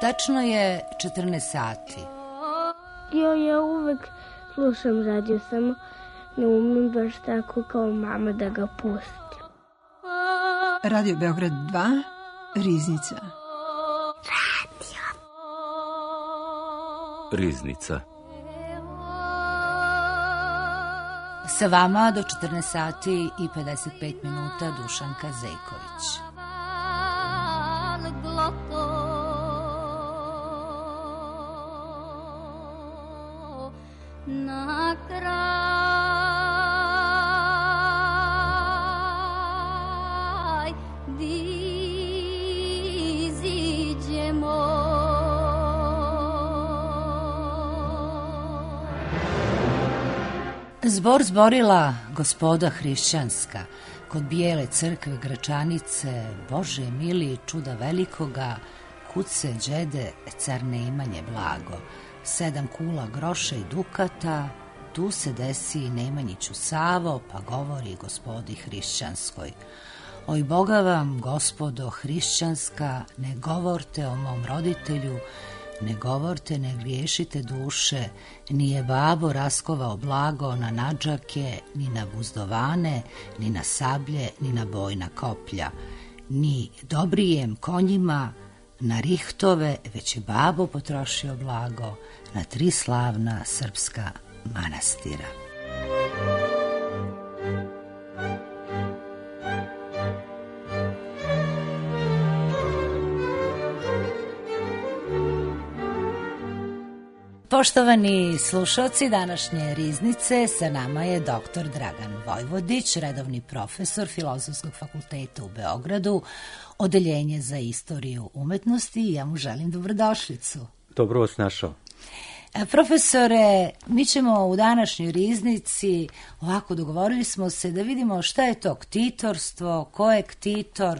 Tačno je 14 sati. Ja uvek slušam radio, samo ne umem baš tako kao mama da ga pustim. Radio Beograd 2, Riznica. Riznica. Sa vama do 14 sati i 55 minuta Dušanka Zejković. Na kraj iziđemo. Zbor zborila gospoda hrišćanska, kod bijele crkve Gračanice, Bože mili čuda velikoga, kuce đede car Nemanje blago, 7 kula groša i dukata, tu se desi Nemanjiću Savo, pa govori gospodi hrišćanskoj. Oj Boga vam, gospodo hrišćanska, ne govorte o mom roditelju, ne govorte, ne griješite duše, nije babo raskovao blago na nadžake, ni na buzdovane, ni na sablje, ni na bojna koplja, ni dobrijem konjima, na rihtove, već je babo potrošio blago na 3 slavna srpska manastira. Poštovani slušalci današnje Riznice, sa nama je dr. Dragan Vojvodić, redovni profesor Filozofskog fakulteta u Beogradu, Odeljenje za istoriju umetnosti, i ja mu želim dobrodošlicu. Dobro vas našao. Profesore, mi ćemo u današnjoj Riznici, ovako dogovorili smo se da vidimo šta je to ktitorstvo, ko je ktitor,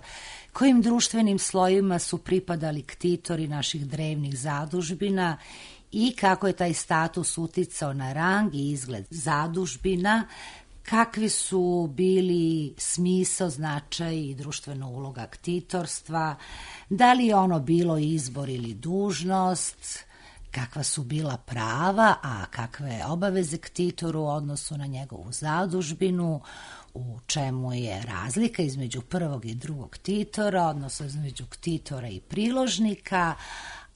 kojim društvenim slojima su pripadali ktitori naših drevnih zadužbina i kako je taj status uticao na rang i izgled zadužbina, kakvi su bili smisao, značaj i društvena uloga ktitorstva, da li je ono bilo izbor ili dužnost, kakva su bila prava, a kakve obaveze ktitoru u odnosu na njegovu zadužbinu, u čemu je razlika između prvog i drugog ktitora, odnosno između ktitora i priložnika,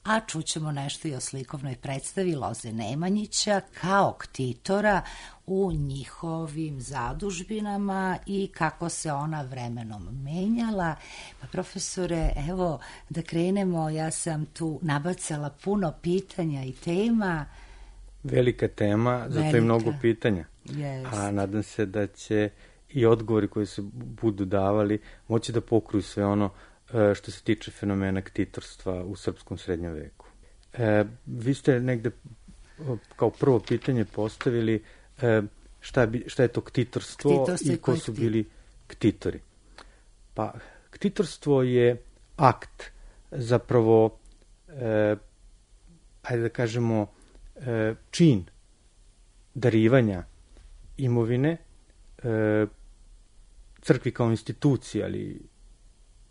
a čućemo nešto i o slikovnoj predstavi Loze Nemanjića kao ktitora u njihovim zadužbinama i kako se ona vremenom menjala. Pa profesore, evo da krenemo, ja sam tu nabacala puno pitanja i tema. Velika tema, zato je mnogo pitanja. Yes. A nadam se da će i odgovori koji se budu davali moći da pokruju sve ono što se tiče fenomena ktitorstva u srpskom srednjem veku. Vi ste negde kao prvo pitanje postavili šta je to ktitorstvo i ko su bili ktitori. Pa, ktitorstvo je akt, zapravo, ajde da kažemo, čin darivanja imovine crkvi kao instituciji, ali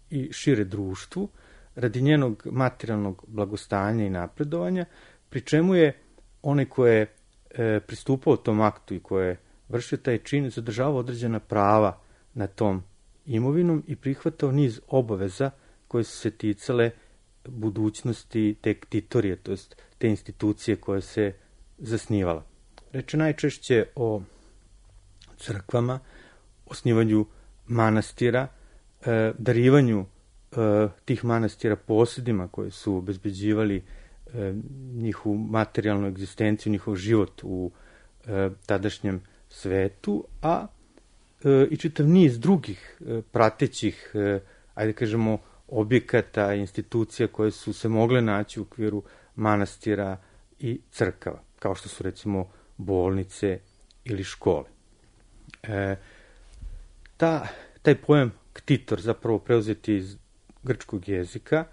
i šire društvu, radi njenog materijalnog blagostanja i napredovanja, pri čemu je onaj ko je pristupao tom aktu i ko je vršio taj čin, zadržavao određena prava na tom imovinom i prihvatao niz obaveza koje su se ticale budućnosti te ktitorije, to jest te institucije koje se zasnivala. Reč je najčešće o crkvama, osnivanju manastira, darivanju tih manastira posjedima koje su obezbeđivali njihovu materijalnu egzistenciju, njihov život u tadašnjem svetu, a i čitav niz drugih pratećih, ajde kažemo, objekata, institucija koje su se mogle naći u okviru manastira i crkava, kao što su recimo bolnice ili škole. Taj pojam ktitor, zapravo preuzeti iz grčkog jezika,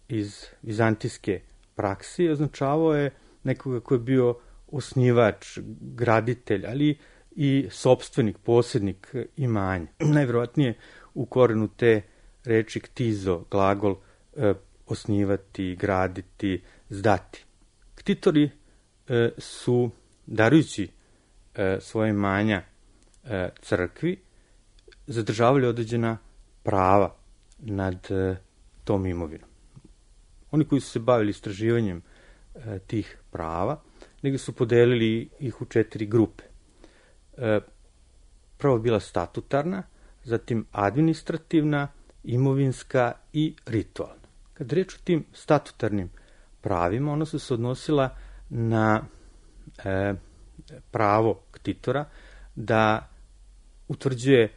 iz vizantijske praksi, označavao je nekoga ko je bio osnivač, graditelj, ali i sopstvenik, posjednik imanja. Najverovatnije u korenu te reči ktizo, glagol, osnivati, graditi, zdati. Ktitori su, darujući svoje imanja crkvi, zadržavali određena prava nad tom imovinom. Oni koji su se bavili istraživanjem tih prava, negdje su podelili ih u 4 grupe. Prvo bila statutarna, zatim administrativna, imovinska i ritualna. Kad reč o tim statutarnim pravima, ona su se odnosila na pravo ktitora da utvrđuje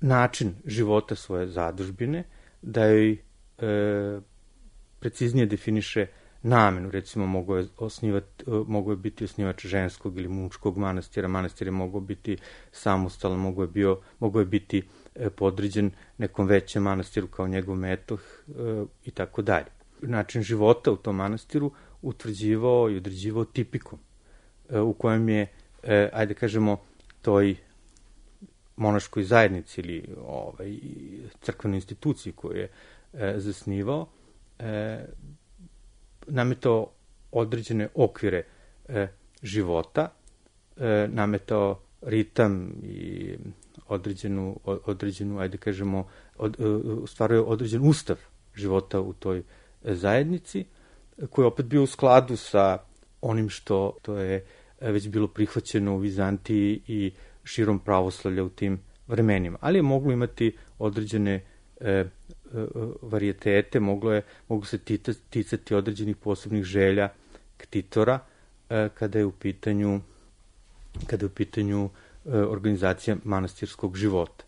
način života svoje zadužbine, da joj preciznije definiše namenu. Recimo, mogo je biti osnivač ženskog ili muškog manastira, manastir je mogao biti samostalan, mogo je biti podređen nekom većem manastiru kao njegov metoh i tako dalje. Način života u tom manastiru utvrđivao i određivao tipikom u kojem je, ajde kažemo, toj monaškoj zajednici ili crkvenoj instituciji koju je zasnivao, nametao određene okvire života, nametao ritam i određenu, ajde kažemo, stvaruje određen ustav života u toj zajednici, koji je opet bio u skladu sa onim što je već bilo prihvaćeno u Vizantiji i širom pravoslavlja u tim vremenima. Ali je moglo imati određene varijetete, mogu se ticati određenih posebnih želja ktitora kada je u pitanju organizacija manastirskog života.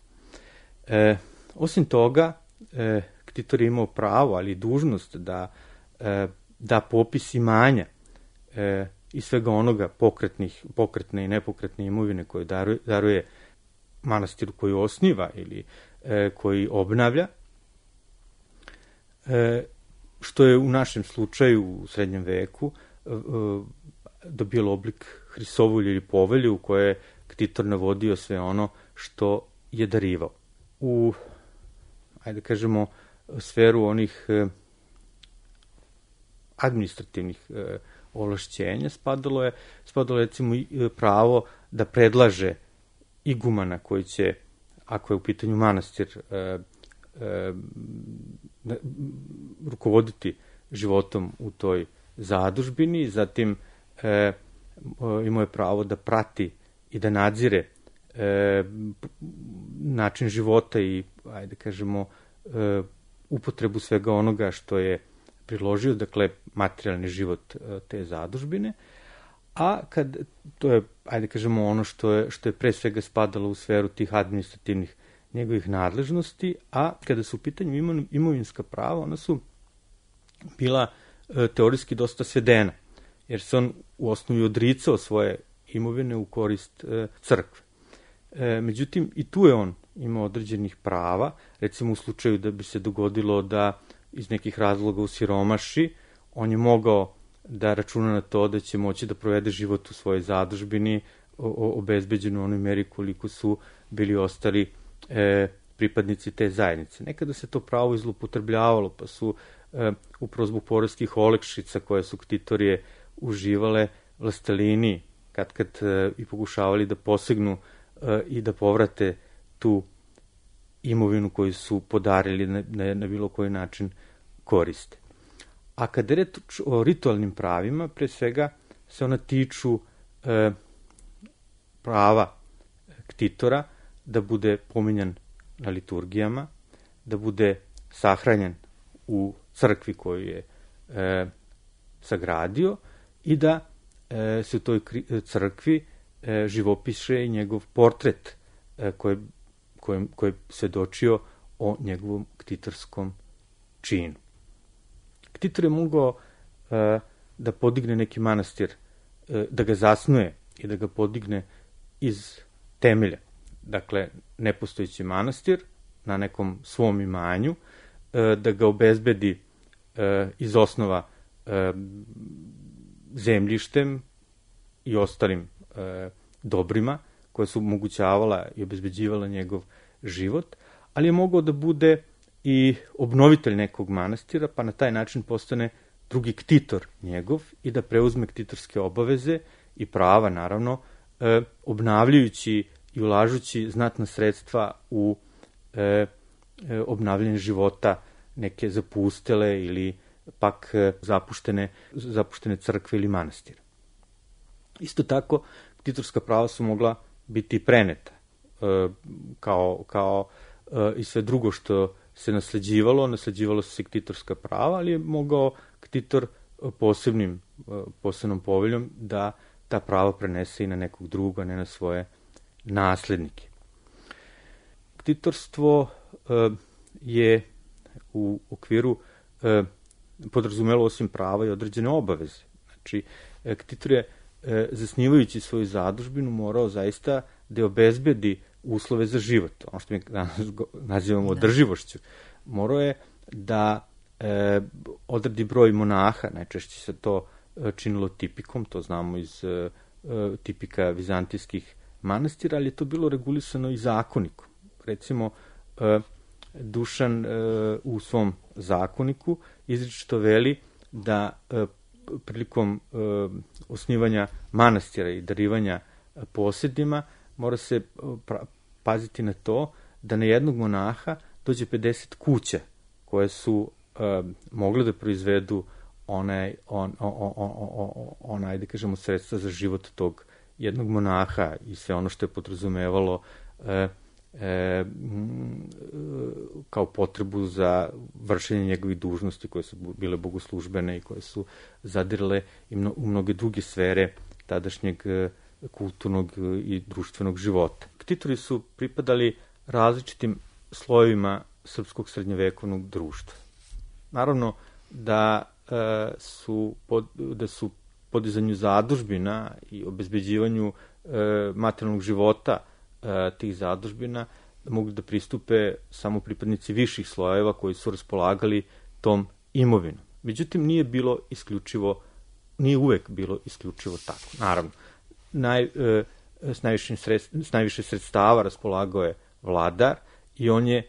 Osim toga, ktitor je imao pravo, ali i dužnost da popis imanja i svega onoga pokretne i nepokretne imovine koje daruje manastiru koji osniva ili koji obnavlja, što je u našem slučaju u srednjem veku dobilo oblik hrisovulje ili povelje u koje je ktitor navodio sve ono što je darivao. U, ajde kažemo, sferu onih administrativnih ovlašćenja spadalo je recimo pravo da predlaže igumana koji će, ako je u pitanju manastir, rukovoditi životom u toj zadužbini, zatim imao je pravo da prati i da nadzire način života i, ajde kažemo, upotrebu svega onoga što je priložio, dakle, materijalni život te zadužbine, a to je, ajde kažemo, ono što je pre svega spadalo u sferu tih administrativnih njegovih nadležnosti, a kada su u pitanju imovinska prava, ona su bila teorijski dosta svedena, jer se on u osnovi odricao svoje imovine u korist crkve. Međutim, i tu je on imao određenih prava, recimo u slučaju da bi se dogodilo da iz nekih razloga u siromaši, on je mogao da računa na to da će moći da provede život u svojoj zadužbini obezbeđeno u onoj meri koliko su bili ostali pripadnici te zajednice. Nekada se to pravo izlupotrebljavalo, pa su upravo zbog poreskih olakšica koje su ktitorije uživale, vlastelini kad i pokušavali da posegnu i da povrate tu imovinu koju su podarili na bilo koji način koriste. A kada je reč o ritualnim pravima, pre svega se ona tiču prava ktitora da bude pominjan na liturgijama, da bude sahranjen u crkvi koju je sagradio i da se u toj crkvi živopiše i njegov portret koji je svedočio o njegovom ktitorskom činu. Ktitor je mogao da podigne neki manastir, da ga zasnuje i da ga podigne iz temelja. Dakle, nepostojeći manastir na nekom svom imanju, da ga obezbedi iz osnova zemljištem i ostalim dobrima koje su omogućavala i obezbeđivala njegov život, ali je mogao da bude i obnovitelj nekog manastira, pa na taj način postane drugi ktitor njegov i da preuzme ktitorske obaveze i prava, naravno, obnavljajući i ulažući znatna sredstva u obnavljanje života neke zapustele ili pak zapuštene crkve ili manastira. Isto tako, ktitorska prava su mogla biti preneta, kao i sve drugo što se nasleđivalo su se ktitorska prava, ali je mogao ktitor posebnom poveljom da ta prava prenese i na nekog druga, a ne na svoje naslednike. Ktitorstvo je u okviru podrazumelo osim prava i određene obaveze. Znači, ktitor je, zasnivajući svoju zadužbinu, morao zaista da obezbedi uslove za život, ono što mi nazivamo održivošću. Morao je da odredi broj monaha, najčešće se to činilo tipikom, to znamo iz tipika vizantijskih manastira, ali je to bilo regulisano i zakonikom. Recimo, Dušan u svom zakoniku izričito veli da prilikom osnivanja manastira i darivanja posedima mora se paziti na to da na jednog monaha dođe 50 kuća koje su mogle da proizvedu da kažemo, sredstva za život tog jednog monaha i sve ono što je podrazumevalo kao potrebu za vršenje njegovih dužnosti koje su bile bogoslužbene i koje su zadirale u mnoge druge sfere tadašnjeg kulturnog i društvenog života. Ktitori su pripadali različitim slojevima srpskog srednjovekovnog društva. Naravno da su podizanju zadužbina i obezbeđivanju materijalnog života tih zadužbina mogli da pristupe samo pripadnici viših slojeva koji su raspolagali tom imovinom. Međutim, nije uvek bilo isključivo tako. Naravno, s najviše sredstava raspolagao je vladar i on je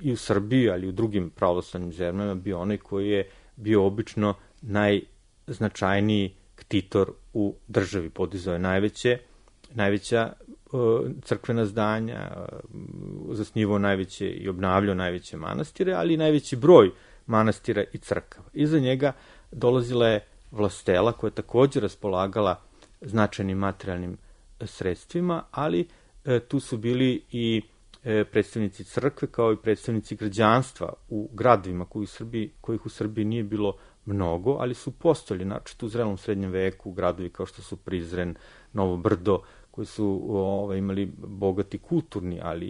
i u Srbiji, ali i u drugim pravoslavnim zemljama bio onaj koji je bio obično najznačajniji ktitor u državi. Podizao je najveća crkvena zdanja, zasnivao najveće i obnavljao najveće manastire, ali i najveći broj manastira i crkava. Iza njega dolazila je vlastela koja je također raspolagala značajnim materijalnim sredstvima, ali tu su bili i predstavnici crkve kao i predstavnici građanstva u gradovima kojih u Srbiji nije bilo mnogo, ali su postojali, znači u zrelom srednjem veku, gradovi kao što su Prizren, Novo Brdo, koji su imali bogati kulturni, ali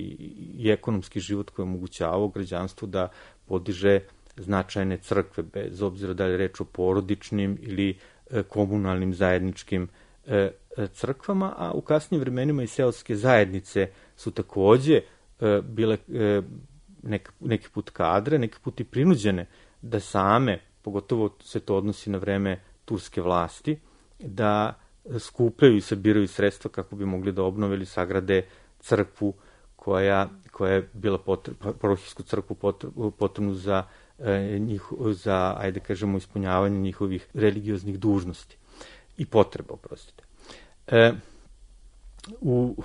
i ekonomski život koji je omogućavao građanstvu da podiže značajne crkve, bez obzira da je reč o porodičnim ili komunalnim zajedničkim crkvama, a u kasnijim vremenima i seoske zajednice su takođe bile neki put kadre, neki put i prinuđene da same, pogotovo se to odnosi na vreme turske vlasti, da skupljaju i sabiraju sredstva kako bi mogli da obnove ili sagrade crkvu koja je bila parohijsku crkvu potrebnu za, ajde kažemo, ispunjavanje njihovih religioznih dužnosti i potreba, oprostite. U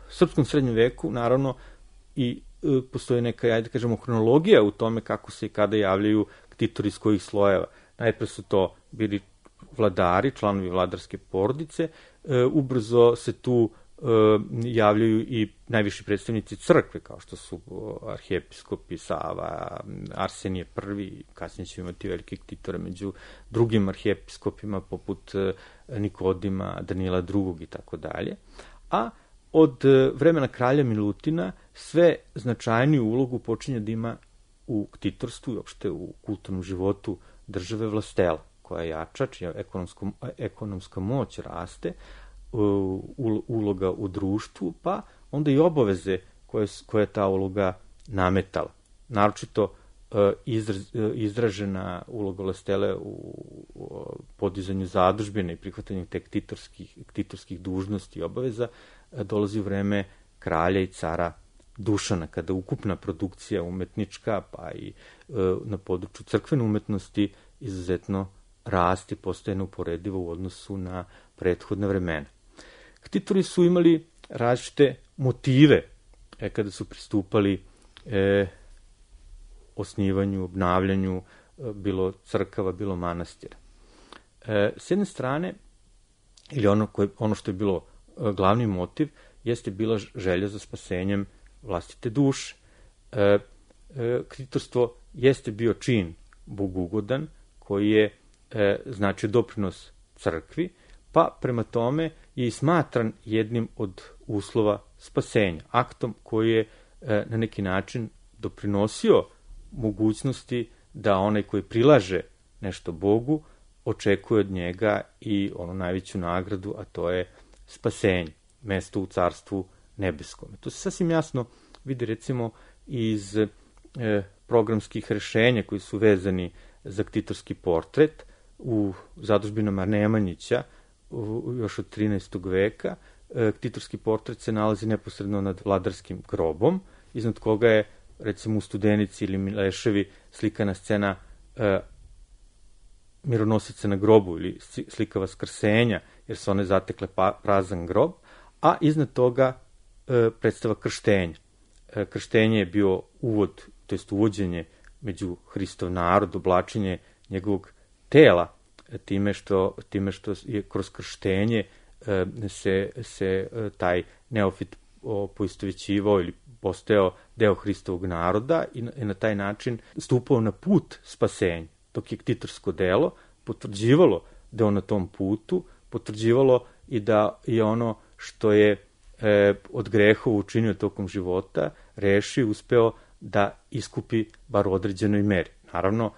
srpskom srednjem veku, naravno, i postoji neka, ajde kažemo, hronologija u tome kako se i kada javljaju ktitori iz kojih slojeva. Najpre su to bili vladari, članovi vladarske porodice, ubrzo se tu javljaju i najviši predstavnici crkve, kao što su arhijepiskopi Sava, Arsenije I, kasnije ćemo imati velike ktitore među drugim arhijepiskopima poput Nikodima, Danila II i tako dalje. A od vremena kralja Milutina sve značajniju ulogu počinje da ima u ktitorstvu i uopšte u kulturnom životu države vlastela, koja jača, čija ekonomska moć raste, uloga u društvu, pa onda i obaveze koje je ta uloga nametala. Naročito izražena uloga vlastele u podizanju zadužbine i prihvatanju te ktitorskih dužnosti i obaveza dolazi u vreme kralja i cara Dušana, kada ukupna produkcija umetnička, pa i na području crkvene umetnosti izuzetno raste, postaje neuporedivo u odnosu na prethodne vremena. Ktitori su imali različite motive kada su pristupali osnivanju, obnavljanju bilo crkava, bilo manastira. S jedne strane, ili ono što je bilo glavni motiv, jeste bila želja za spasenjem vlastite duše. Ktitorstvo jeste bio čin bogugodan koji je značio doprinos crkvi, pa prema tome je i smatran jednim od uslova spasenja, aktom koji je na neki način doprinosio mogućnosti da onaj koji prilaže nešto Bogu očekuje od njega i onu najveću nagradu, a to je spasenje, mesto u carstvu nebeskom. To se sasvim jasno vidi recimo iz programskih rešenja koji su vezani za ktitorski portret u zadužbinama Nemanjića još od 13. veka. Ktitorski portret se nalazi neposredno nad vladarskim grobom, iznad koga je recimo u Studenici ili Mileševi slikana scena mironosice na grobu ili slika vaskrsenja, jer su one zatekle prazan grob, a iznad toga predstava krštenja. Krštenje je bio uvod, to jest uvođenje među Hristov narod, oblačenje njegovog tela, time što je kroz krštenje se taj neofit poistovećivao ili postao deo Hristovog naroda i na taj način stupao na put spasenja. Dok je ktitorsko delo potvrđivalo da on na tom putu, potvrđivalo i da je ono što je od grehova učinio tokom života, rešio i uspeo da iskupi bar u određenoj meri. Naravno,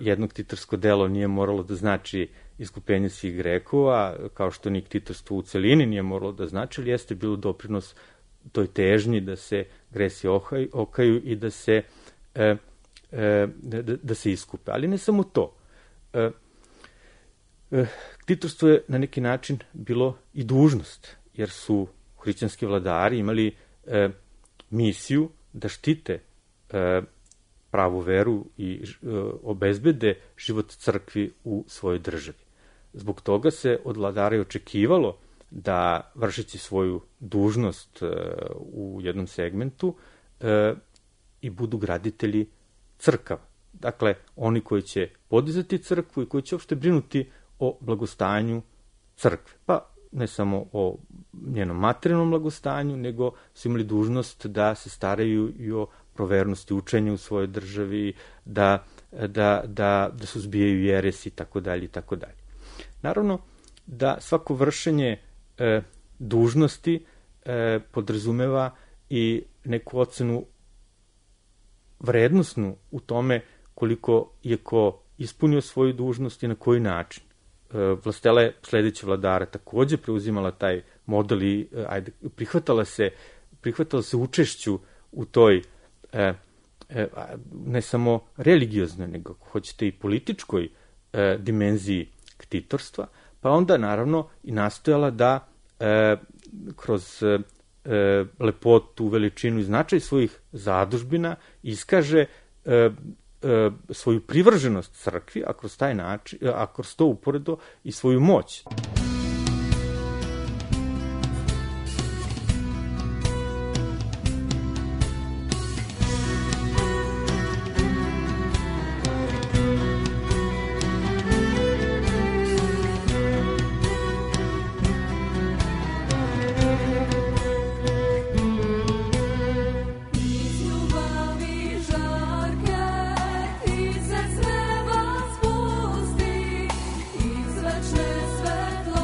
jedno ktitorsko delo nije moralo da znači iskupenje svih grehova, kao što ni ktitorstvo u celini nije moralo da znači, ali jeste bilo doprinos toj težnji da se gresi okaju i da se iskupe. Ali ne samo to. Ktitorstvo je na neki način bilo i dužnost, jer su hrišćanski vladari imali misiju da štite pravu veru i obezbede život crkvi u svojoj državi. Zbog toga se od vladara očekivalo da, vršeći svoju dužnost u jednom segmentu, i budu graditelji crkava. Dakle, oni koji će podizati crkvu i koji će uopšte brinuti o blagostanju crkve. Pa ne samo o njenom materijalnom blagostanju, nego su imali dužnost da se staraju i o provernosti učenja u svojoj državi, da suzbijaju jeresi i tako dalje i tako dalje. Naravno da svako vršenje dužnosti podrazumeva i neku ocenu vrednosnu u tome koliko je ko ispunio svoju dužnost i na koji način. Vlastela je sledeća vladara takođe preuzimala taj model i prihvatala se učešću u toj ne samo religioznoj, nego ako hoćete i političkoj dimenziji ktitorstva, pa onda naravno i nastojala da kroz lepotu, veličinu i značaj svojih zadužbina iskaže svoju privrženost crkvi, a kroz taj način, a kroz to uporedo i svoju moć. Svetlo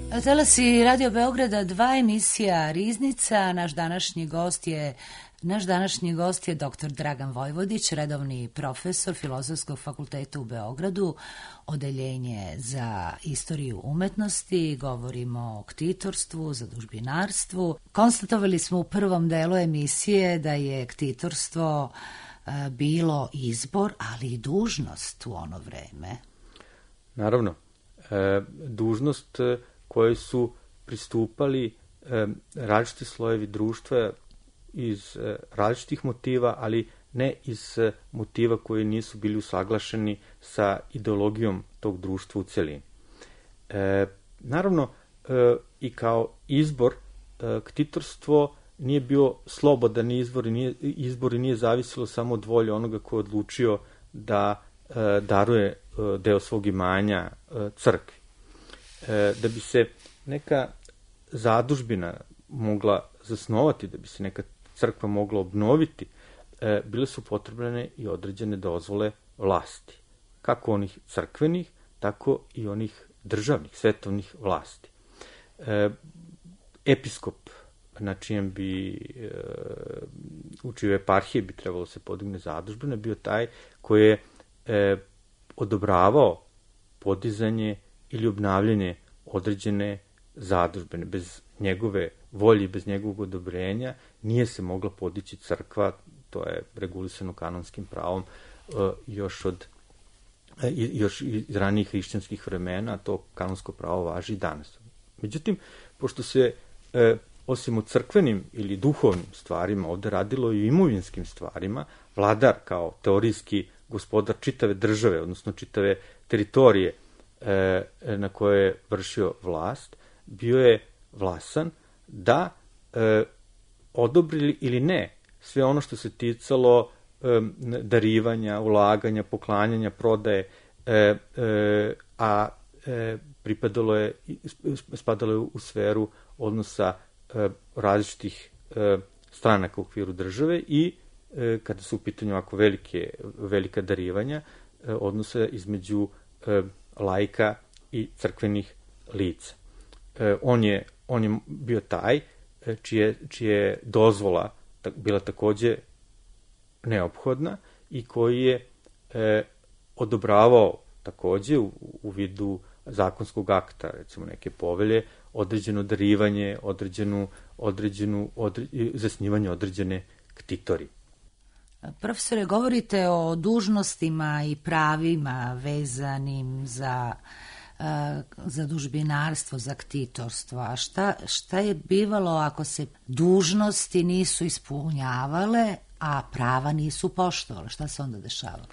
Talasi Radio Beograda 2, emisija Riznica. Naš današnji gost je dr. Dragan Vojvodić, redovni profesor Filozofskog fakulteta u Beogradu, odeljenje za istoriju umetnosti. Govorimo o ktitorstvu, zadužbinarstvu. Konstatovali smo u prvom delu emisije da je ktitorstvo bilo izbor, ali i dužnost u ono vreme. Naravno, dužnost koje su pristupali različiti slojevi društva iz različitih motiva, ali ne iz motiva koji nisu bili usaglašeni sa ideologijom tog društva u celini. Naravno, i kao izbor, ktitorstvo nije bio slobodan izbor i nije zavisilo samo od volje onoga ko je odlučio da daruje deo svog imanja crkvi. Da bi se neka zadužbina mogla zasnovati, da bi se neka crkva mogla obnoviti, bile su potrebne i određene dozvole vlasti. Kako onih crkvenih, tako i onih državnih, svetovnih vlasti. Episkop, na čijem bi u čijoj eparhiji bi trebalo se podigne zadužbina, bio taj koji je odobravao podizanje ili obnavljanje određene zadužbine. Bez njegove volje i bez njegovog odobrenja nije se mogla podići crkva, to je regulisano kanonskim pravom još iz ranijih hrišćanskih vremena, a to kanonsko pravo važi i danas. Međutim, pošto se osim o crkvenim ili duhovnim stvarima ovde radilo i o imovinskim stvarima, vladar kao teorijski gospodar čitave države, odnosno čitave teritorije na koje je vršio vlast, bio je vlasan da odobri ili ne sve ono što se ticalo darivanja, ulaganja, poklanjanja, prodaje, a spadalo je u sferu odnosa različitih stranaka u okviru države i kada su u pitanju ovako velika darivanja, odnosa između laika i crkvenih lica. On je bio taj čije dozvola bila takođe neophodna i koji je odobravao takođe u vidu zakonskog akta, recimo neke povelje, određeno darivanje, zasnivanje određene ktitorije. Profesore, govorite o dužnostima i pravima vezanim za zadužbinarstvo, za ktitorstvo. A šta je bivalo ako se dužnosti nisu ispunjavale, a prava nisu poštovale? Šta se onda dešavalo?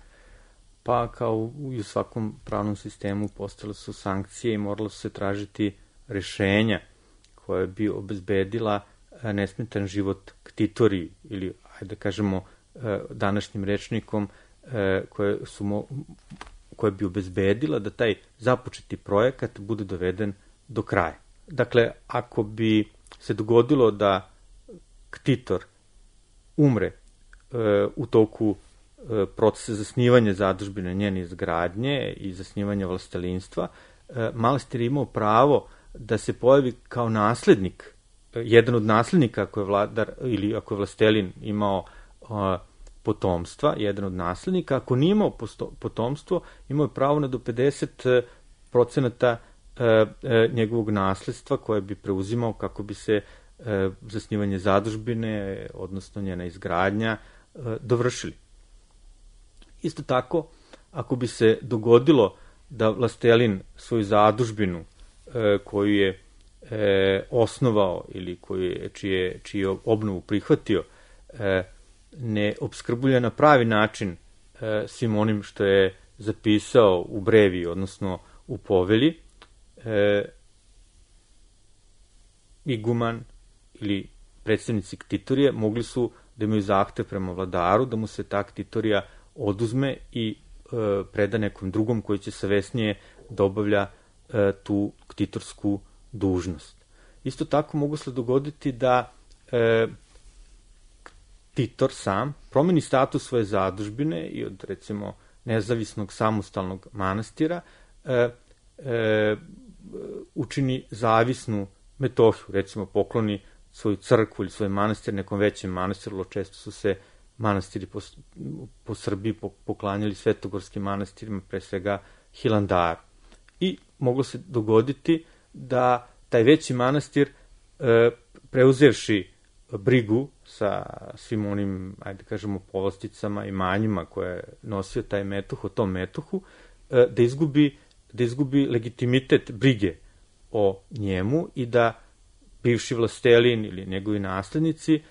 Pa kao i u svakom pravnom sistemu postale su sankcije i moralo se tražiti rešenja koje bi obezbedila nesmetan život ktitoriji ili, ajde da kažemo, današnjim rečnikom koje bi obezbedila da taj započeti projekat bude doveden do kraja. Dakle, ako bi se dogodilo da ktitor umre u toku procesa zasnivanja zadužbine, njene izgradnje i zasnivanja vlastelinstva, manastir je imao pravo da se pojavi kao naslednik, jedan od naslednika ako je vladar ili ako je vlastelin imao potomstva, jedan od naslednika. Ako nije imao potomstvo, imao je pravo na do 50% njegovog nasledstva koje bi preuzimao kako bi se zasnivanje zadužbine, odnosno njena izgradnja, dovršili. Isto tako, ako bi se dogodilo da vlastelin svoju zadužbinu koju je osnovao ili čiju obnovu prihvatio, ne opskrbljuje na pravi način svim onim što je zapisao u brevi, odnosno u povelji, iguman ili predstavnici ktitorije mogli su da imaju zahtev prema vladaru, da mu se ta ktitorija oduzme i preda nekom drugom koji će savesnije da obavlja tu ktitorsku dužnost. Isto tako mogu se dogoditi da ktitor sam promeni status svoje zadužbine i od, recimo, nezavisnog samostalnog manastira učini zavisnu Metohiju, recimo pokloni svoju crkvu ili svoj manastir nekom većem manastiru. Često su se manastiri po Srbiji poklanjali svetogorskim manastirima, pre svega Hilandaru. I moglo se dogoditi da taj veći manastir, preuzevši brigu sa svim onim, ajde kažemo, povlasticama i manjima koje je nosio taj metoh, o tom metohu, da izgubi legitimitet brige o njemu i da bivši vlastelin ili njegovi naslednici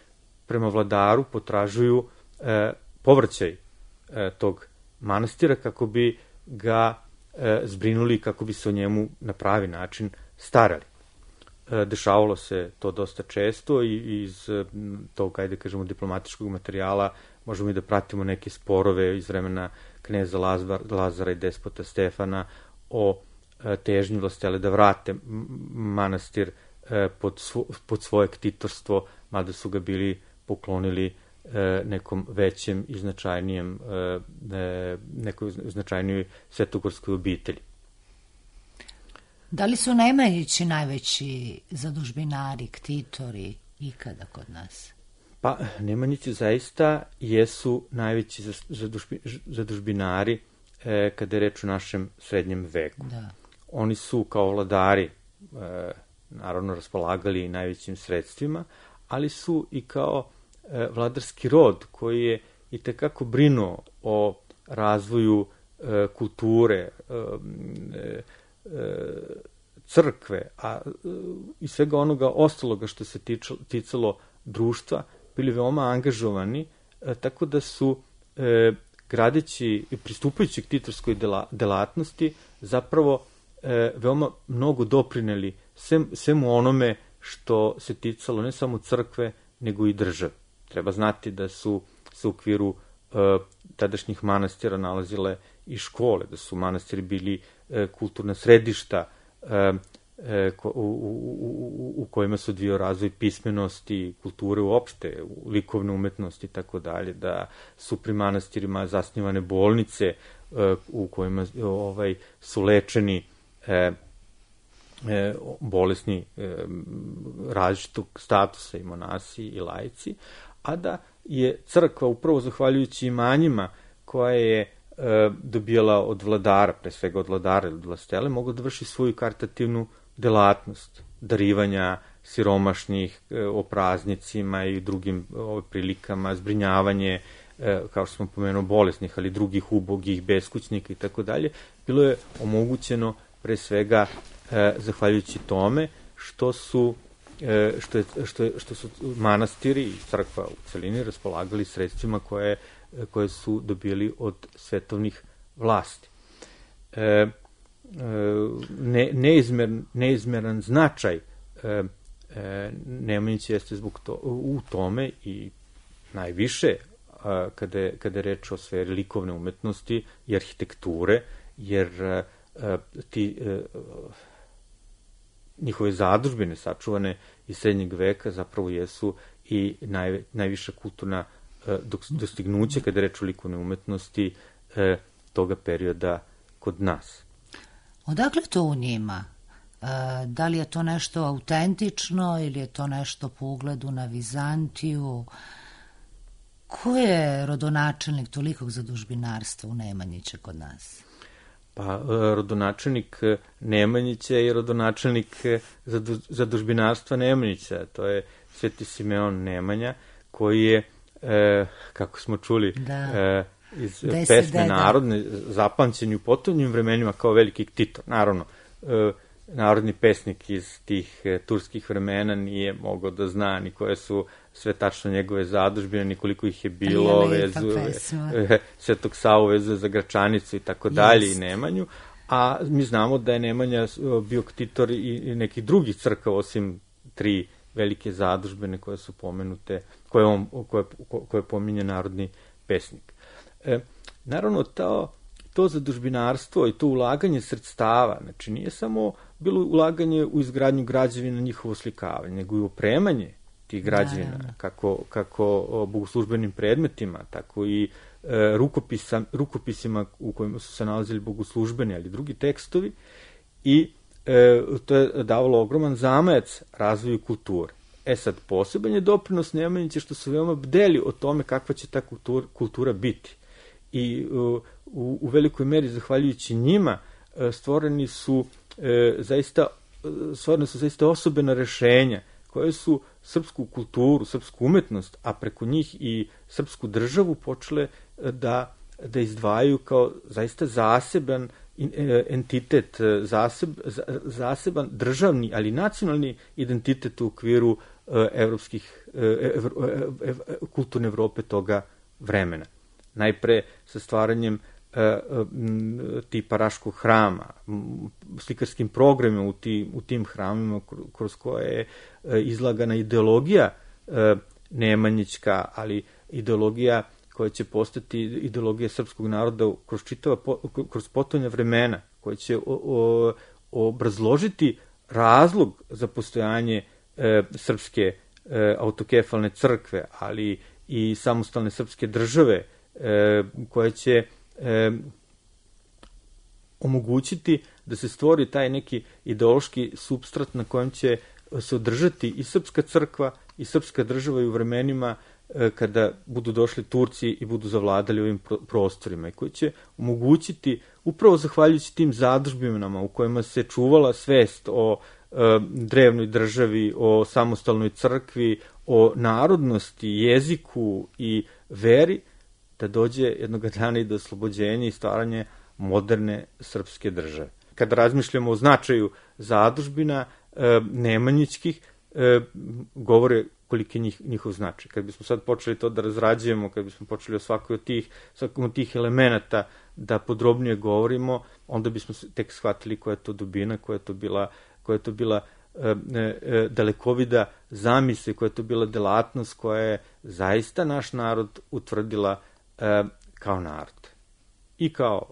prema vladaru potražuju povraćaj tog manastira kako bi ga zbrinuli, kako bi se o njemu na pravi način starali. Dešavalo se to dosta često i iz tog, ajde kažemo, diplomatičkog materijala možemo i da pratimo neke sporove iz vremena kneza Lazara i despota Stefana o težnji vlastele da vrate manastir pod svoje ktitorstvo, mada su ga bili poklonili nekom većem i značajnijem, nekoj značajnijoj svetogorskoj obitelji. Da li su Nemanjići najveći zadužbinari, ktitori ikada kod nas? Pa, Nemanjići zaista jesu najveći zadužbinari kada je reč o našem srednjem veku. Da. Oni su kao vladari naravno raspolagali najvećim sredstvima, ali su i kao vladarski rod koji je i tekako brinuo o razvoju kulture, crkve, a i svega onoga ostaloga što se ticalo društva, bili veoma angažovani, tako da su gradeći i pristupajući k ktitorskoj delatnosti zapravo veoma mnogo doprineli svemu onome što se ticalo ne samo crkve, nego i države. Treba znati da su se u okviru tadašnjih manastira nalazile i škole, da su manastiri bili kulturna središta u kojima se odvijao razvoj pismenosti, kulture uopšte, likovne umetnosti i tako dalje, da su pri manastirima zasnivane bolnice u kojima su lečeni bolesni različitog statusa i monasi i laici, a da je crkva upravo zahvaljujući imanjima koja je dobijala od vladara, pre svega od vladara ili od vlastele, mogla da vrši svoju karitativnu delatnost darivanja siromašnih o praznicima i drugim prilikama, zbrinjavanje, kao što smo pomenuo, bolesnih, ali drugih ubogih, beskućnika i tako dalje, bilo je omogućeno pre svega zahvaljujući tome što su manastiri i crkva u celini raspolagali sredstvima koje su dobili od svetovnih vlasti. Neizmeran značaj Nemanjića jeste u tome i najviše kada je reč o sferi likovne umetnosti i arhitekture, jer ti njihove zadužbine sačuvane iz srednjeg veka zapravo jesu i najviša kulturna dostignuća kada je reč o likovne umetnosti toga perioda kod nas. Odakle to u njima? Da li je to nešto autentično ili je to nešto po ugledu na Vizantiju? Ko je rodonačelnik tolikog zadužbinarstva u Nemanjića kod nas? Pa, rodonačelnik Nemanjića i rodonačelnik zadužbinarstva Nemanjića. To je Sveti Simeon Nemanja, koji je, kako smo čuli, iz pesme narodne, zapamćen u potonjim vremenima kao veliki ktitor. Naravno, narodni pesnik iz tih turskih vremena nije mogao da zna ni koje su sve tačno njegove zadužbine, ni koliko ih je bilo, Svetog Savu vezuje za Gračanicu i tako dalje i Nemanju, a mi znamo da je Nemanja bio ktitor i nekih drugih crkava, osim 3 velike zadužbine koje su pomenute, koje pominje narodni pesnik. Naravno, to zadužbinarstvo i to ulaganje sredstava, znači nije samo bilo ulaganje u izgradnju građevina, njihovo slikavanje, nego i opremanje tih građevina, kako bogoslužbenim predmetima, tako i rukopisima u kojima su se nalazili bogoslužbeni, ali drugi tekstovi, i to je davalo ogroman zamajac razvoju kulture. Sad, poseban je doprinos Nemanjića što su veoma bdeli o tome kakva će ta kultura biti. I u velikoj meri, zahvaljujući njima, stvorene su zaista osobena rešenja koje su srpsku kulturu, srpsku umetnost, a preko njih i srpsku državu počele da izdvajaju kao zaista zaseban entitet, zaseban državni, ali nacionalni identitet u okviru kulturne Evrope toga vremena. Najpre sa stvaranjem tipa Raškog hrama, slikarskim programima u tim hramima kroz koje je izlagana ideologija nemanjićka, ali ideologija koja će postati ideologija srpskog naroda kroz potonja vremena, koja će obrazložiti razlog za postojanje srpske autokefalne crkve, ali i samostalne srpske države, koja će omogućiti da se stvori taj neki ideološki supstrat na kojem će se održati i srpska crkva i srpska država i u vremenima kada budu došli Turci i budu zavladali ovim prostorima, i koji će omogućiti, upravo zahvaljujući tim zadužbinama u kojima se čuvala svest o drevnoj državi, o samostalnoj crkvi, o narodnosti, jeziku i veri, da dođe jednog dana i do oslobođenja i stvaranja moderne srpske države. Kada razmišljamo o značaju zadužbina nemanjićkih, govore koliki je njihov značaj. Kad bismo sad počeli to da razrađujemo, kad bismo počeli o svakom od tih elemenata da podrobnije govorimo, onda bismo tek shvatili koja je to dubina, koja je to bila dalekovida zamisli, koja je to bila delatnost koja je zaista naš narod utvrdila kao narod. I kao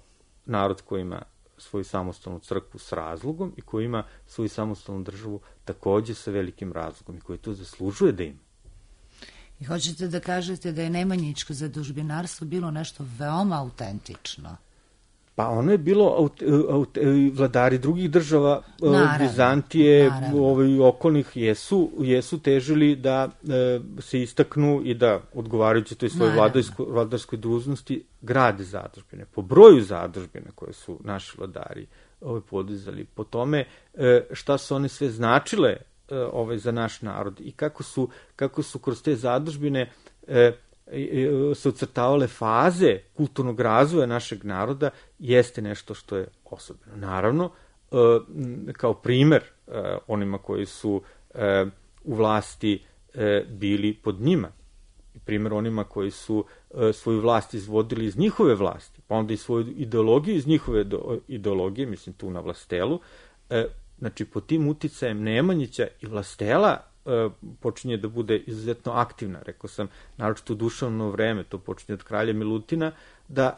narod koji ima svoju samostalnu crkvu s razlogom i koji ima svoju samostalnu državu takođe sa velikim razlogom i koji to zaslužuje da ima. I hoćete da kažete da je nemanjičko zadužbinarstvo bilo nešto veoma autentično? Pa ono je bilo, vladari drugih država, Bizantije, okolnih, jesu težili da se istaknu i da, odgovarajući toj svojoj vladarskoj dužnosti, grade zadužbine. Po broju zadužbina koje su naši vladari podizali, po tome šta su one sve značile za naš narod i kako su kroz te zadužbine se ocrtavale faze kulturnog razvoja našeg naroda, jeste nešto što je osobeno. Naravno, kao primer onima koji su u vlasti bili pod njima, primer onima koji su svoju vlast izvodili iz njihove vlasti, pa onda i svoju ideologiju iz njihove ideologije, mislim tu na Vlastelu, znači pod tim uticajem Nemanjića i Vlastela počinje da bude izuzetno aktivna, rekao sam, naročito u duševno vreme, to počinje od kralja Milutina,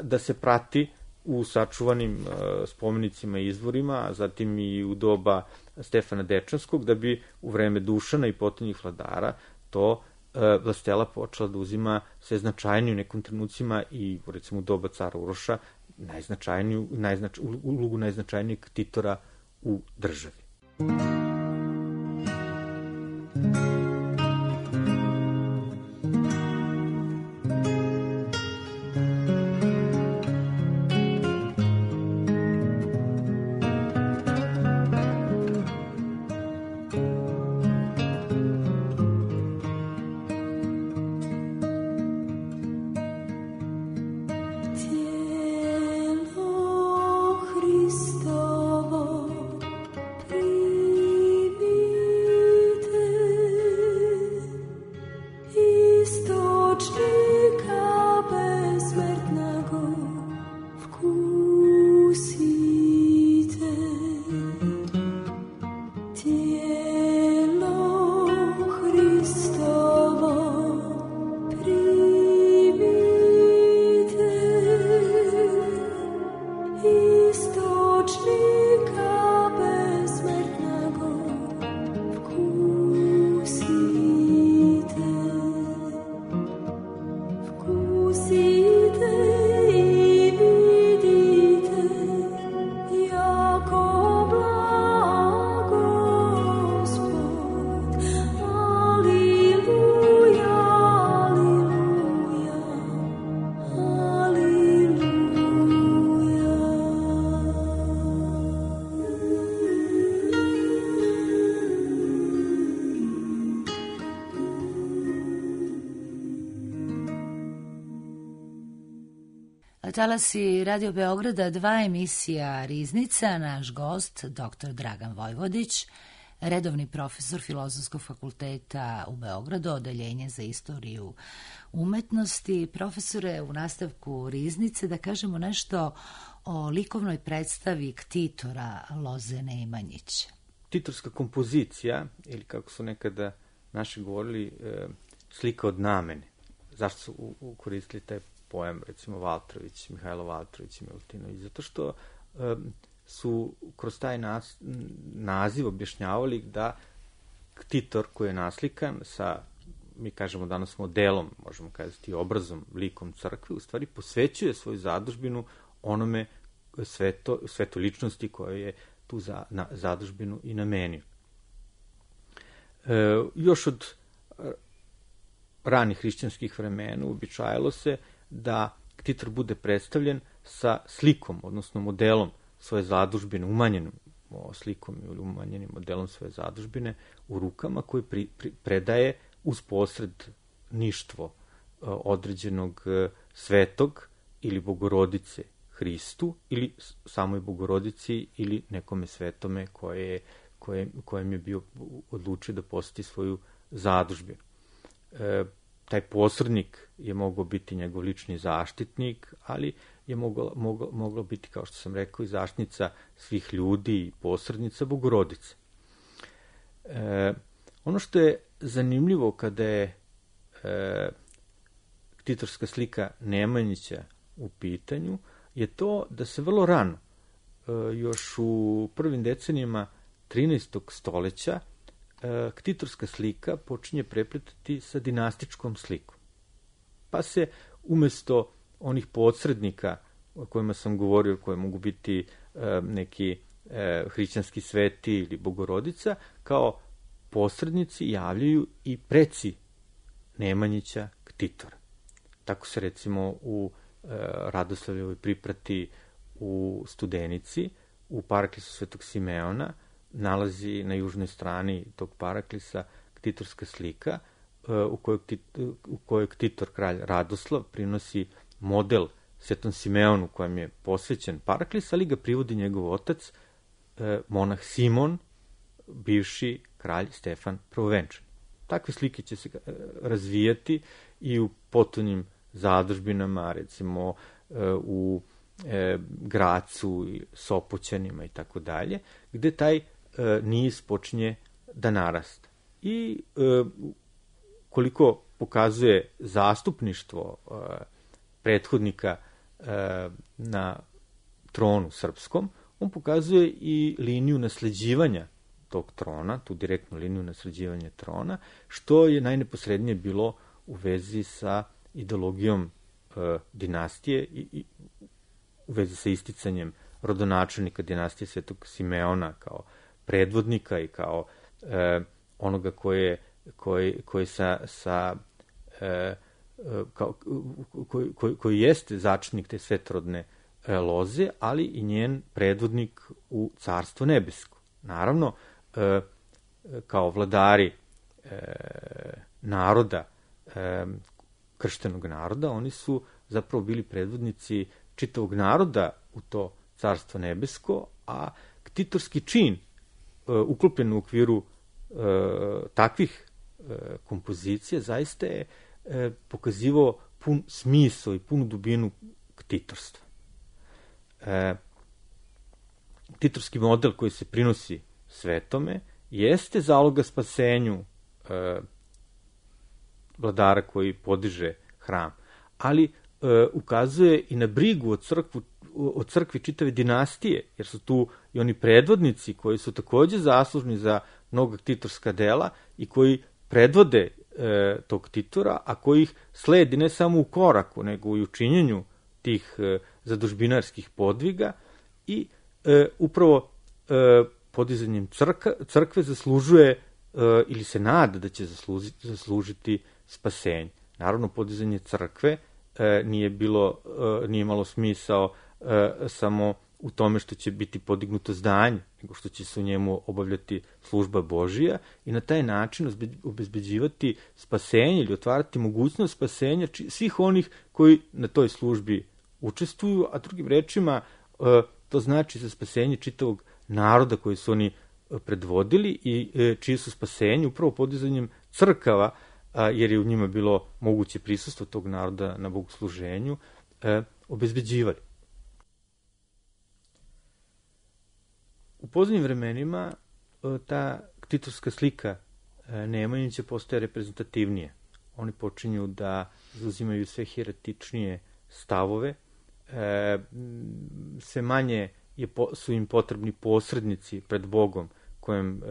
da se prati u sačuvanim spomenicima i izvorima, a zatim i u doba Stefana Dečanskog, da bi u vreme Dušana i potonjih vladara to Vlastela počela da uzima sve značajniju u nekom trenucima i recimo u doba cara Uroša ulogu najznačajnijeg ktitora u državi. Tijelo Hristovo talasi Radio Beograda 2 emisija Riznica, naš gost, dr. Dragan Vojvodić, redovni profesor Filozofskog fakulteta u Beogradu, odeljenje za istoriju umetnosti. Profesore, u nastavku Riznice da kažemo nešto o likovnoj predstavi Ktitora Loze Nemanjića. Ktitorska kompozicija, ili kako su nekada naši govorili, slika od namene. Zašto su koristili taj pojam, recimo Valtrović, Mihajlo Valtrović i Milutinović? Zato što su kroz taj naziv objašnjavali da Ktitor koji je naslikan sa, mi kažemo danas modelom, možemo kazati obrazom, likom crkve, u stvari posvećuje svoju zadužbinu onome sveto ličnosti koje je tu zadužbinu i namenio. Još od ranih hrišćanskih vremena uobičajalo se da Ktitor bude predstavljen sa slikom, odnosno modelom svoje zadužbine, umanjenom slikom ili umanjenim modelom svoje zadužbine u rukama, koji predaje uz posredništvo određenog svetog ili bogorodice Hristu ili samoj bogorodici ili nekome svetome kojem je bio odlučio da posjeti svoju zadužbinu. Taj posrednik je mogao biti njegov lični zaštitnik, ali je moglo biti, kao što sam rekao, i zaštitnica svih ljudi i posrednica bogorodice. Ono što je zanimljivo kada je ktitorska slika Nemanjića u pitanju je to da se vrlo rano, još u prvim decenijama 13. stoleća, ktitorska slika počinje prepletati sa dinastičkom slikom. Pa se umesto onih posrednika o kojima sam govorio, koje mogu biti neki hrišćanski sveti ili bogorodica, kao posrednici javljaju i preci Nemanjića Ktitora. Tako se recimo u Radoslavljevoj priprati u Studenici, u paraklisu Svetog Simeona, nalazi na južnoj strani tog paraklisa ktitorska slika u kojoj Ktitor, kralj Radoslav, prinosi model Svetom Simeonu kojem je posvećen paraklis, ali ga privodi njegov otac, monah Simon, bivši kralj Stefan Prvovenčani. Takve slike će se razvijati i u potonjim zadužbinama, recimo u Gracu, Sopoćanima i tako dalje, gde taj niz počinje da narasta. I koliko pokazuje zastupništvo prethodnika na tronu srpskom, on pokazuje i liniju nasleđivanja tog trona, tu direktnu liniju nasleđivanja trona, što je najneposrednije bilo u vezi sa ideologijom dinastije i u vezi sa isticanjem rodonačelnika dinastije Svetog Simeona kao predvodnika i kao onoga koji jeste začetnik te svetorodne loze, ali i njen predvodnik u Carstvo nebesko. Naravno, kao vladari naroda, krštenog naroda, oni su zapravo bili predvodnici čitavog naroda u to Carstvo nebesko, a ktitorski čin uklopljen u okviru takvih kompozicija zaista je pokazivao pun smisao i punu dubinu ktitorstva. Ktitorski model koji se prinosi svetome jeste zaloga spasenju vladara koji podiže hram, ali ukazuje i na brigu o crkvi čitave dinastije, jer su tu i oni predvodnici koji su takođe zaslužni za mnoga ktitorska dela i koji predvode tog Ktitora, a koji ih sledi ne samo u koraku, nego i u činjenju tih zadužbinarskih podviga i upravo podizanjem crkve zaslužuje ili se nada da će zaslužiti spasenje. Naravno, podizanje crkve nije imalo smisao samo u tome što će biti podignuto zdanje, nego što će se u njemu obavljati služba Božija i na taj način obezbeđivati spasenje ili otvarati mogućnost spasenja svih onih koji na toj službi učestvuju, a drugim rečima to znači za spasenje čitavog naroda koji su oni predvodili i čije su spasenje upravo podizanjem crkava, jer je u njima bilo moguće prisustvo tog naroda na bogosluženju, obezbeđivali. U poznijim vremenima ta ktitorska slika Nemanjića postaje reprezentativnije. Oni počinju da zauzimaju sve heretičnije stavove, sve manje su im potrebni posrednici pred Bogom kojem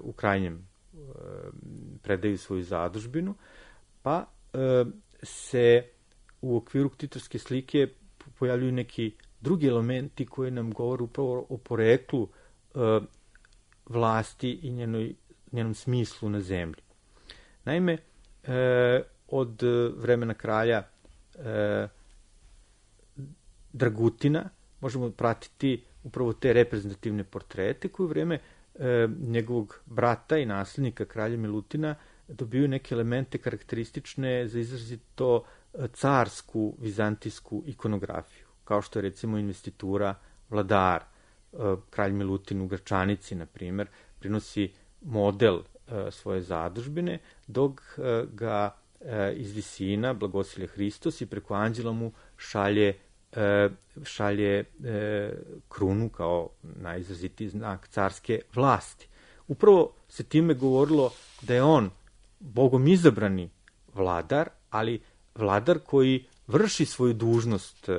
u krajnjem predaju svoju zadužbinu, pa se u okviru ktitorske slike pojavljuju neki drugi elementi koji nam govore upravo o poreklu vlasti i njenom smislu na zemlji. Naime, od vremena kralja Dragutina možemo pratiti upravo te reprezentativne portrete koji u vreme njegovog brata i naslednika kralja Milutina dobiju neke elemente karakteristične za izrazito carsku vizantijsku ikonografiju, kao što je recimo investitura vladara. Kralj Milutin u Gračanici, na primjer, prinosi model svoje zadužbine, dok ga iz visina blagosilje Hristos i preko anđela mu šalje krunu kao najizrazitiji znak carske vlasti. Upravo se time govorilo da je on Bogom izabrani vladar, ali vladar koji vrši svoju dužnost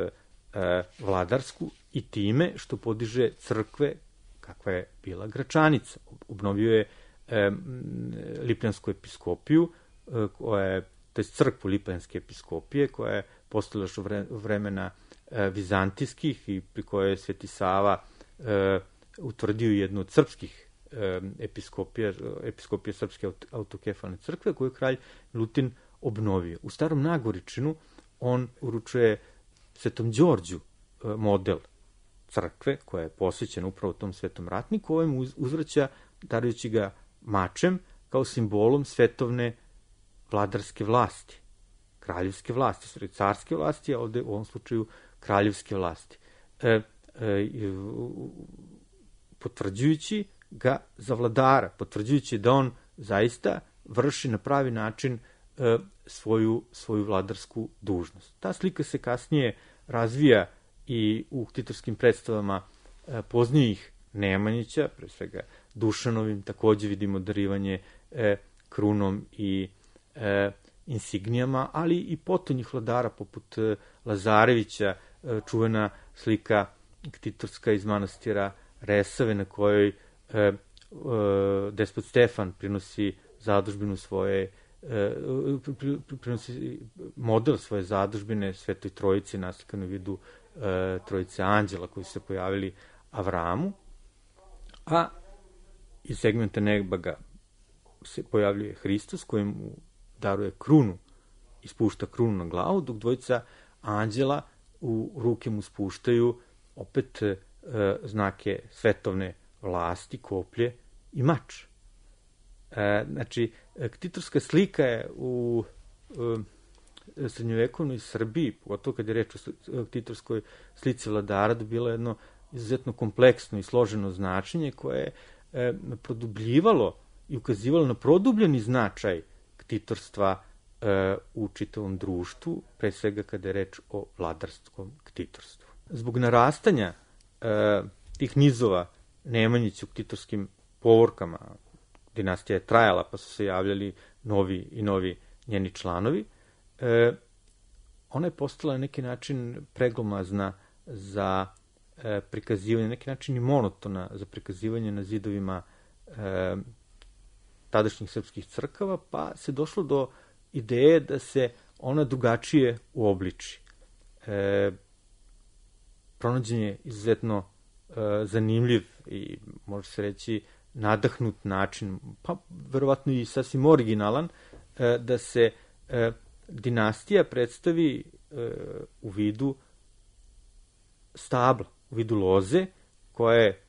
vladarsku i time što podiže crkve kakva je bila Gračanica. Obnovio je Lipljansku episkopiju, to je crkvu Lipljanske episkopije, koja je postala još u vremena vizantijskih i pri kojoj je Sveti Sava utvrdio jednu od srpskih episkopije Srpske autokefalne crkve, koju je kralj Milutin obnovio. U Starom Nagoričinu on uručuje Svetom Đorđu model crkve, koja je posvećena upravo tom svetom ratniku, ovaj mu uzvraća darujući ga mačem kao simbolom svetovne vladarske vlasti, kraljevske vlasti, carske vlasti, a ovde u ovom slučaju kraljevske vlasti. Potvrđujući ga za vladara, potvrđujući da on zaista vrši na pravi način svoju vladarsku dužnost. Ta slika se kasnije razvija i u ktitorskim predstavama poznijih Nemanjića, pre svega Dušanovim, takođe vidimo darivanje krunom i insignijama, ali i potonjih vladara poput Lazarevića, čuvena slika ktitorska iz manastira Resave, na kojoj despot Stefan prinosi zadužbinu svoje, prinosi model svoje zadužbine Svetoj Trojici, naslikanu u vidu Trojice anđela koji su se pojavili Avramu, a iz segmenta neba se pojavljuje Hristos koji mu daruje krunu i spušta krunu na glavu, dok dvojica anđela u ruke mu spuštaju opet znake svetovne vlasti, koplje i mač. Znači, ktitorska slika je u srednjovekovnoj Srbiji, pogotovo kad je reč o ktitorskoj slici vladara, dobila jedno izuzetno kompleksno i složeno značenje koje je produbljivalo i ukazivalo na produbljeni značaj ktitorstva u čitavom društvu, pre svega kada je reč o vladarskom ktitorstvu. Zbog narastanja tih nizova Nemanjića u ktitorskim povorkama, dinastija je trajala, pa su se javljali novi i novi njeni članovi, ona je postala na neki način preglomazna za prikazivanje, na neki način i monotona za prikazivanje na zidovima tadašnjih srpskih crkava, pa se došlo do ideje da se ona drugačije uobliči. Pronađen je izuzetno zanimljiv i može se reći nadahnut način, pa verovatno i sasvim originalan, da se dinastija predstavi u vidu stabla, u vidu loze, koja je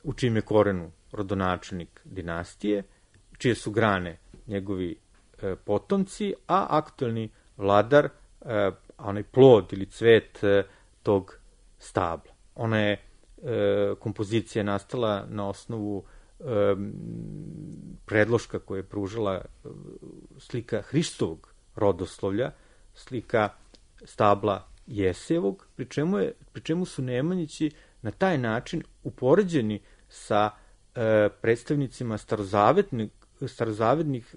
u čijem je korenu rodonačelnik dinastije, čije su grane njegovi potomci, a aktuelni vladar, a onaj plod ili cvet tog stabla. Ona je kompozicija nastala na osnovu predloška koje je pružala slika Hristovog rodoslovlja, slika stabla Jesevog, pri čemu su Nemanjići na taj način upoređeni sa predstavnicima starozavetnih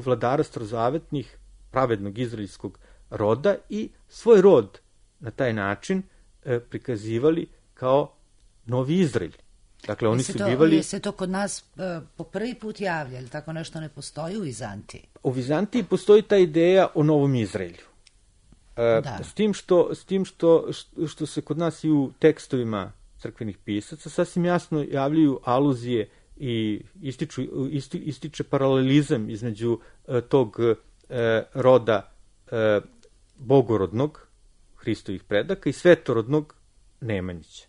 vladara starozavetnih pravednog izraelskog roda i svoj rod na taj način prikazivali kao novi Izrael. Dakle, oni su bivali... Je se to kod nas po prvi put javlja, ili tako nešto ne postoji u Vizantiji? U Vizantiji postoji ta ideja o novom Izraelju. S tim što se kod nas i u tekstovima crkvenih pisaca sasvim jasno javljaju aluzije i ističe paralelizam između tog roda bogorodnog Hristovih predaka i svetorodnog Nemanjića.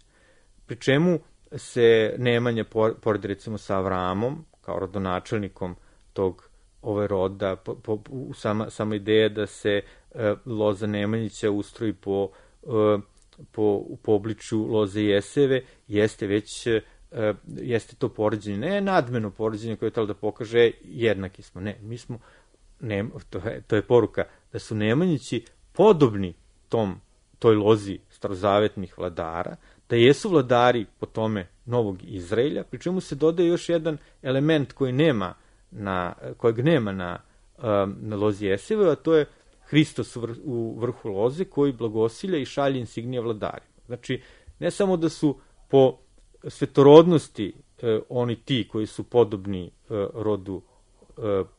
Pri čemu se Nemanja, pored recimo sa Avramom, kao rodonačelnikom tog roda, sama ideja da se loza Nemanjića ustroji po obličju loze Jeseve, jeste to poređenje, ne nadmeno poređenje koje je telo da pokaže jednaki smo, ne, mi smo, to je poruka da su Nemanjići podobni toj lozi starozavetnih vladara, da jesu vladari po tome novog Izraelja, pri čemu se dodaje još jedan element kojeg nema na lozi Jeseve, a to je Hristos u vrhu loze koji blagosilja i šalje insignije vladarima. Znači, ne samo da su po svetorodnosti oni ti koji su podobni rodu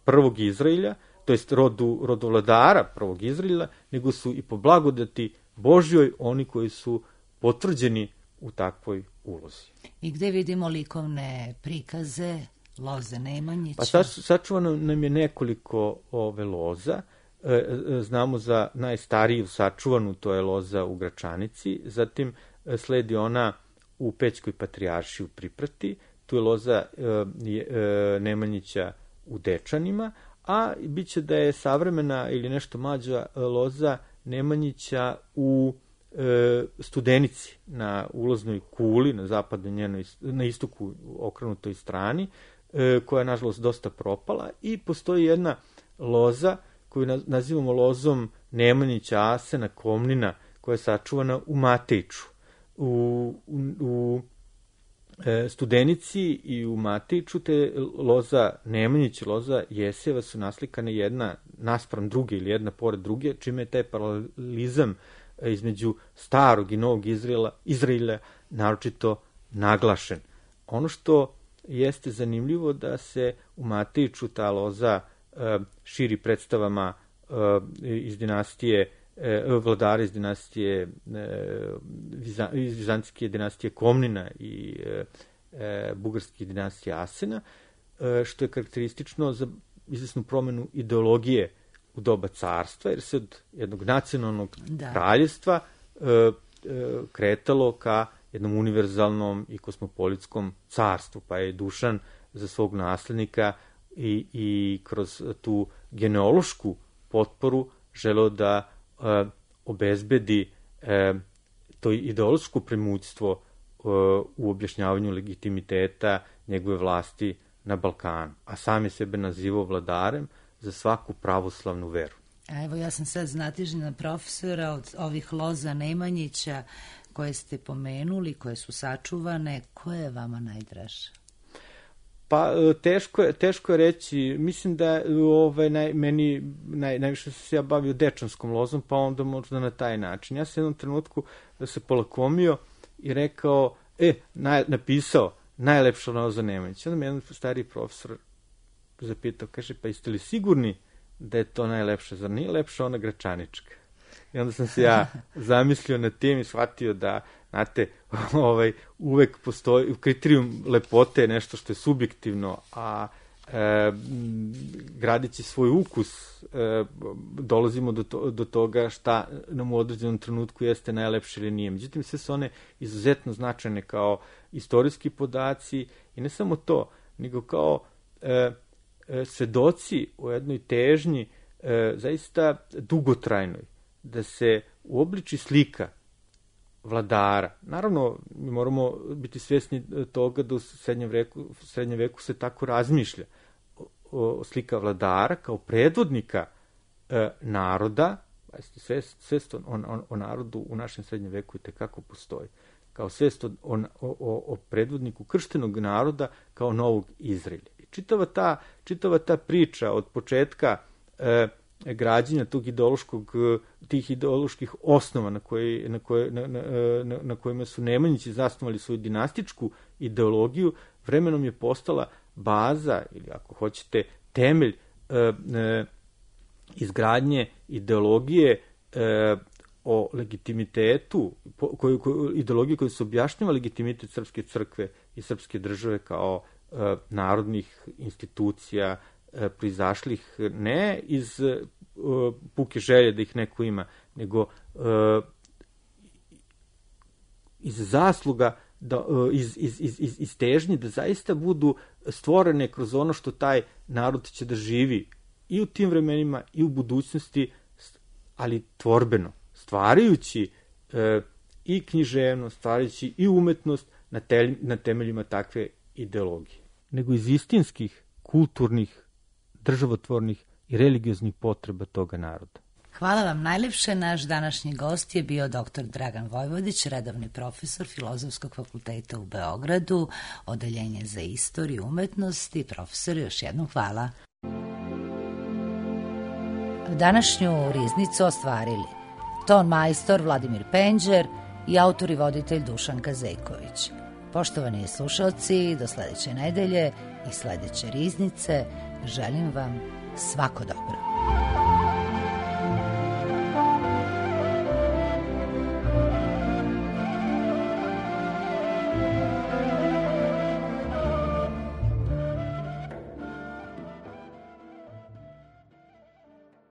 prvog Izraelja, to jest rodu vladara prvog Izraelja, nego su i po blagodati Božjoj oni koji su potvrđeni u takvoj ulozi. I gde vidimo likovne prikaze loze Nemanjića? Pa sačuvano nam je nekoliko loza. Znamo za najstariju sačuvanu, to je loza u Gračanici, zatim sledi ona u Pećkoj patrijaršiji u Priprati, tu je loza Nemanjića u Dečanima, a bit će da je savremena ili nešto mlađa loza Nemanjića u Studenici, na ulaznoj kuli, na zapadnoj njenoj, na istoku okrenutoj strani, koja je nažalost dosta propala, i postoji jedna loza koju nazivamo lozom Nemanjića Asena Komnina, koja je sačuvana u Matejču. U Studenici i u Matejču te loza Nemanjić i loza Jeseva su naslikane jedna naspram druge ili jedna pored druge, čime je taj paralelizam između starog i novog Izraela naročito naglašen. Ono što jeste zanimljivo da se u Matejču ta loza širi predstavama iz dinastije vladara iz dinastije iz vizantijske dinastije Komnina i bugarske dinastije Asena, što je karakteristično za izvesnu promenu ideologije u doba carstva, jer se od jednog nacionalnog kraljevstva kretalo ka jednom univerzalnom i kosmopolitskom carstvu, pa je Dušan za svog naslednika i kroz tu genealošku potporu želeo da obezbedi to ideološko premućstvo u objašnjavanju legitimiteta njegove vlasti na Balkanu, a sam je sebe nazivao vladarem za svaku pravoslavnu veru. Evo, ja sam sad znatižnjena profesora od ovih loza Nemanjića koje ste pomenuli, koje su sačuvane. Koja je vama najdraža? Pa, teško je reći. Mislim da meni najviše se ja bavio dečanskom lozom, pa onda možda na taj način. Ja sam jednom trenutku se polakomio i rekao, napisao najlepša loza Nemanjića. Onda me jedan stari profesor zapitao, kaže, pa jeste li sigurni da je to najlepša, zar nije lepša ona Gračanička? I onda sam se ja zamislio na tim i shvatio da, znate, uvek postoji kriterijum lepote, nešto što je subjektivno, a gradići svoj ukus dolazimo do toga šta nam u određenom trenutku jeste najlepše ili nije. Međutim, sve su one izuzetno značajne kao istorijski podaci i ne samo to, nego kao svedoci o jednoj težnji zaista dugotrajnoj da se uobliči slika vladara. Naravno, mi moramo biti svjesni toga da u srednjem veku se tako razmišlja. Slika vladara kao predvodnika naroda, svest o narodu u našem srednjem veku i tekako postoji, kao svest o predvodniku krštenog naroda kao novog Izraelja. I čitava ta priča od početka građenja tih ideoloških osnova na kojima su Nemanjići zasnovali svoju dinastičku ideologiju, vremenom je postala baza, ili ako hoćete, temelj izgradnje ideologije o legitimitetu, ideologije koja se objašnjava legitimitet srpske crkve i srpske države kao narodnih institucija, proizašlih ne iz puke želje da ih neko ima, nego iz zasluga, iz težnje da zaista budu stvorene kroz ono što taj narod će da živi i u tim vremenima i u budućnosti, ali tvorbeno, stvarajući i književnost, stvarajući i umetnost na temeljima takve ideologije. Nego iz istinskih, kulturnih, državotvornih i religioznih potreba toga naroda. Hvala vam najlepše. Naš današnji gost je bio dr. Dragan Vojvodić, redovni profesor Filozofskog fakulteta u Beogradu, odeljenje za istoriju umetnosti. Profesor, još jednom hvala. Današnju riznicu ostvarili ton majstor Vladimir Penđer i autor i voditelj Dušan Kazejković. Poštovani slušalci, do sledeće nedelje i sledeće riznice želim vam svako dobro.